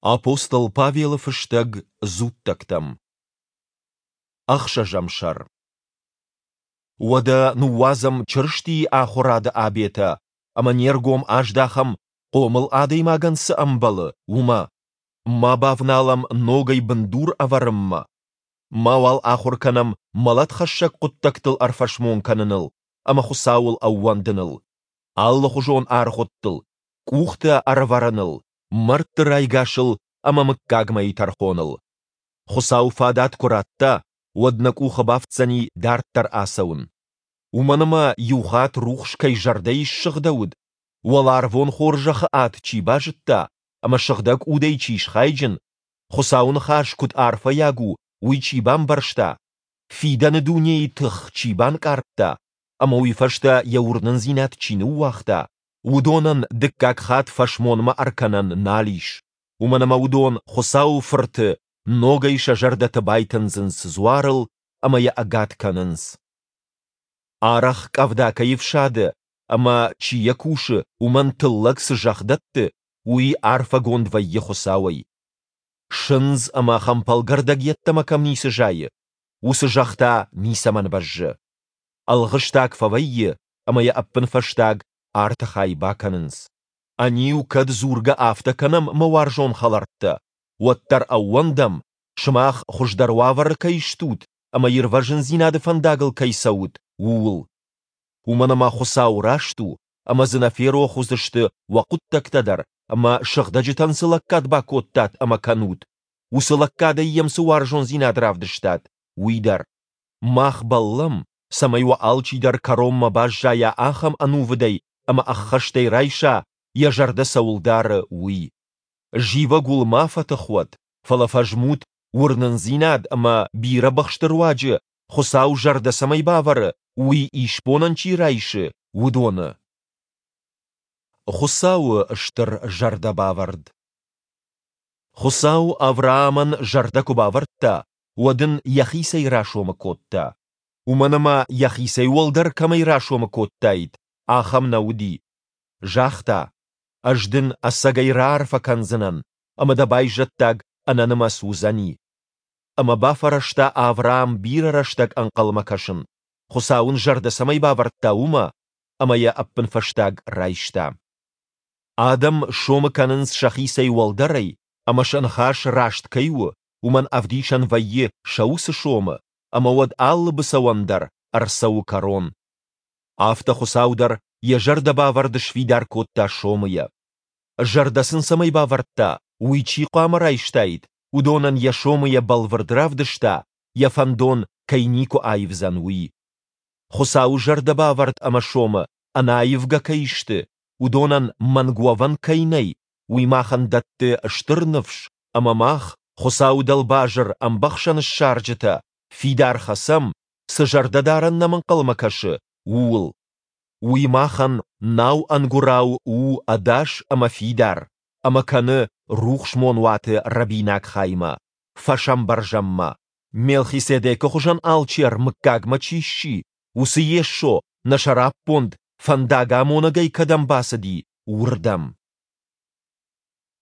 Апостол Павелы фыстӕг дзуттӕгтӕм. Ӕхсӕзӕм сӕр. Уӕдӕ ныууадзӕм Чырыстийы ахуырады абетӕ ӕмӕ не ргом аздахӕм, хъомыл адӕймагӕн цы ӕмбӕлы, уымӕ, ма бавналӕм ногӕй бындур ӕвӕрынмӕ, мауал ахуыр кӕнӕм мӕлӕтхӕссӕг хъуыддӕгтыл ӕрфӕсмон кӕныныл ӕмӕ Хуыцауыл ӕууӕндыныл, алыхуызон аргъуыдтыл, къухтӕ ӕрӕвӕрыныл, мӕрдты райгасыл ӕмӕ мыггагмӕйы тӕрхоныл. Хуыцау фадат куы радта, уӕд нӕ къухы бафтдзӕни дарддӕр ацӕуын. Уымӕн ӕмӕ иу хатт рухс кӕй зӕрдӕйы ссыгъдӕуыд, уӕларвон хорзӕхы ад чи базыдта ӕмӕ сыгъдӕг удӕй чи схайджын, Хуыцауы ныхас куыд арфӕйаг у, уый чи бамбӕрста, фидӕны дунейы тых чи банкъардта ӕмӕ уый фӕстӕ йӕ уырнындзинад чи ныууагъта, уыдонӕн дыккаг хатт фӕсмонмӕ ӕркӕнӕн нал ис, уымӕн ӕмӕ уыдон Хуыцауы Фырты ногӕй сӕ зӕрдӕты байтындзынц дзуарыл ӕмӕ йӕ ӕгад кӕнынц. Арӕх къӕвда кӕй ӕфсады ӕмӕ, чи йӕ кусы, уымӕн тыллӕг цы зӕхх дӕтты, уый арфӕгонд вӕййы Хуыцауӕй. Сындз ӕмӕ хӕмпӕлгӕрдӕг йеддӕмӕ кӕм ницы зайы, уыцы зӕхх та ницӕмӕн бӕззы. Ӕлгъыстаг фӕвӕййы ӕмӕ йӕ ӕппынфӕстаг арты хай бакӕнынц. Ӕниу кӕд дзургӕ афтӕ кӕнӕм, мӕ уарзон хӕлӕрттӕ, уӕддӕр ӕууӕндӕм, сымах хуыздӕр уавӕры кӕй стут ӕмӕ ирвӕзындзинады фӕндагыл кӕй цӕут, ууыл. Уымӕн ӕмӕ Хуыцау раст у, ӕмӕ дзы нӕ ферох уыдзысты уӕ хъуыддӕгтӕ дӕр ӕмӕ сыгъдӕджытӕн цы лӕггад бакодтат ӕмӕ кӕнут, уыцы лӕггадӕй йӕм цы уарзондзинад равдыстат, уый дӕр. Мах бӕллӕм, цӕмӕй уӕ алчидӕр кӕронмӕ баззайа ахӕм ӕнувыдӕй ӕмӕ ӕххӕстӕй райса, йӕ зӕрдӕ цӕуыл дары, уый. Зивӕг уыл ма фӕтых уӕд, фӕлӕ фӕзмут, уырнындзинад ӕмӕ бирӕ быхсты руаджы Хуыцау зӕрдӕ цӕмӕй бавӕры, уый исбонӕн чи райсы, уыдоны. Хуыцауы стыр зӕрдӕбавӕрд. Хуыцау Авраамӕн зӕрдӕ куы бавӕрдта, уӕд ын йӕхицӕй расомы кодта. Уымӕн ӕмӕ йӕхицӕй уӕлдӕр кӕмӕй расомы кодтаид, ахӕм нӕ уыди. Загъта, Ӕз дын ӕцӕгӕй раарфӕ кӕндзынӕн, ӕмӕ дӕ байзӕддаг ӕнӕнымӕц уыдзӕни. Ӕмӕ бафӕрӕзта Авраам бирӕ рӕстӕг ӕнхъӕлмӕ кӕсын, Хуыцау ын зӕрдӕ цӕмӕй бавӕрдта, уымӕ, ӕмӕ йӕ ӕппынфӕстаг райста. Адӕм сомы кӕнынц сӕхицӕй уӕлдӕрӕй, ӕмӕ сӕ ныхас раст кӕй у, уымӕн ӕвдисӕн вӕййы сӕ уыцы сомы, ӕмӕ уӕд алы быцӕуӕн дӕр ӕрцӕуы кӕрон. Афтӕ Хуыцау дӕр йӕ зӕрдӕбавӕрд сфидар кодта сомыйӕ. Зӕрдӕ сын цӕмӕй бавӕрдта, уый чи хъуамӕ райстаид, уыдонӕн йӕ сомыйӕ бӕлвырд равдыста, йӕ фӕндон кӕй никуы аивдзӕн, уый. Хуыцауы зӕрдӕбавӕрд ӕмӕ сомы ӕнӕаивгӕ кӕй сты, уыдонӕн мӕнг уӕвӕн кӕй нӕй, уый махӕн дӕтты стыр ныфс ӕмӕ мах, Хуыцауы дӕлбазыр ӕмбӕхсӕн ссарджытӕ, фидар хӕцӕм, цы зӕрдӕдарӕн нӕм ӕнхъӕлмӕ кӕсы, ууыл. Уый махӕн нау ӕнгуырау у ӕдас ӕмӕ фидар, ӕмӕ кӕны рухсмонуаты рӕбинаг хаймӕ, фӕсӕмбӕрзӕнмӕ, Мелхиседекы хуызӕн алчер мыггагмӕ чи сси, уыцы Йесо нӕ сӕраппонд фӕндагамонӕгӕй кӕдӕм бацыди, уырдӕм.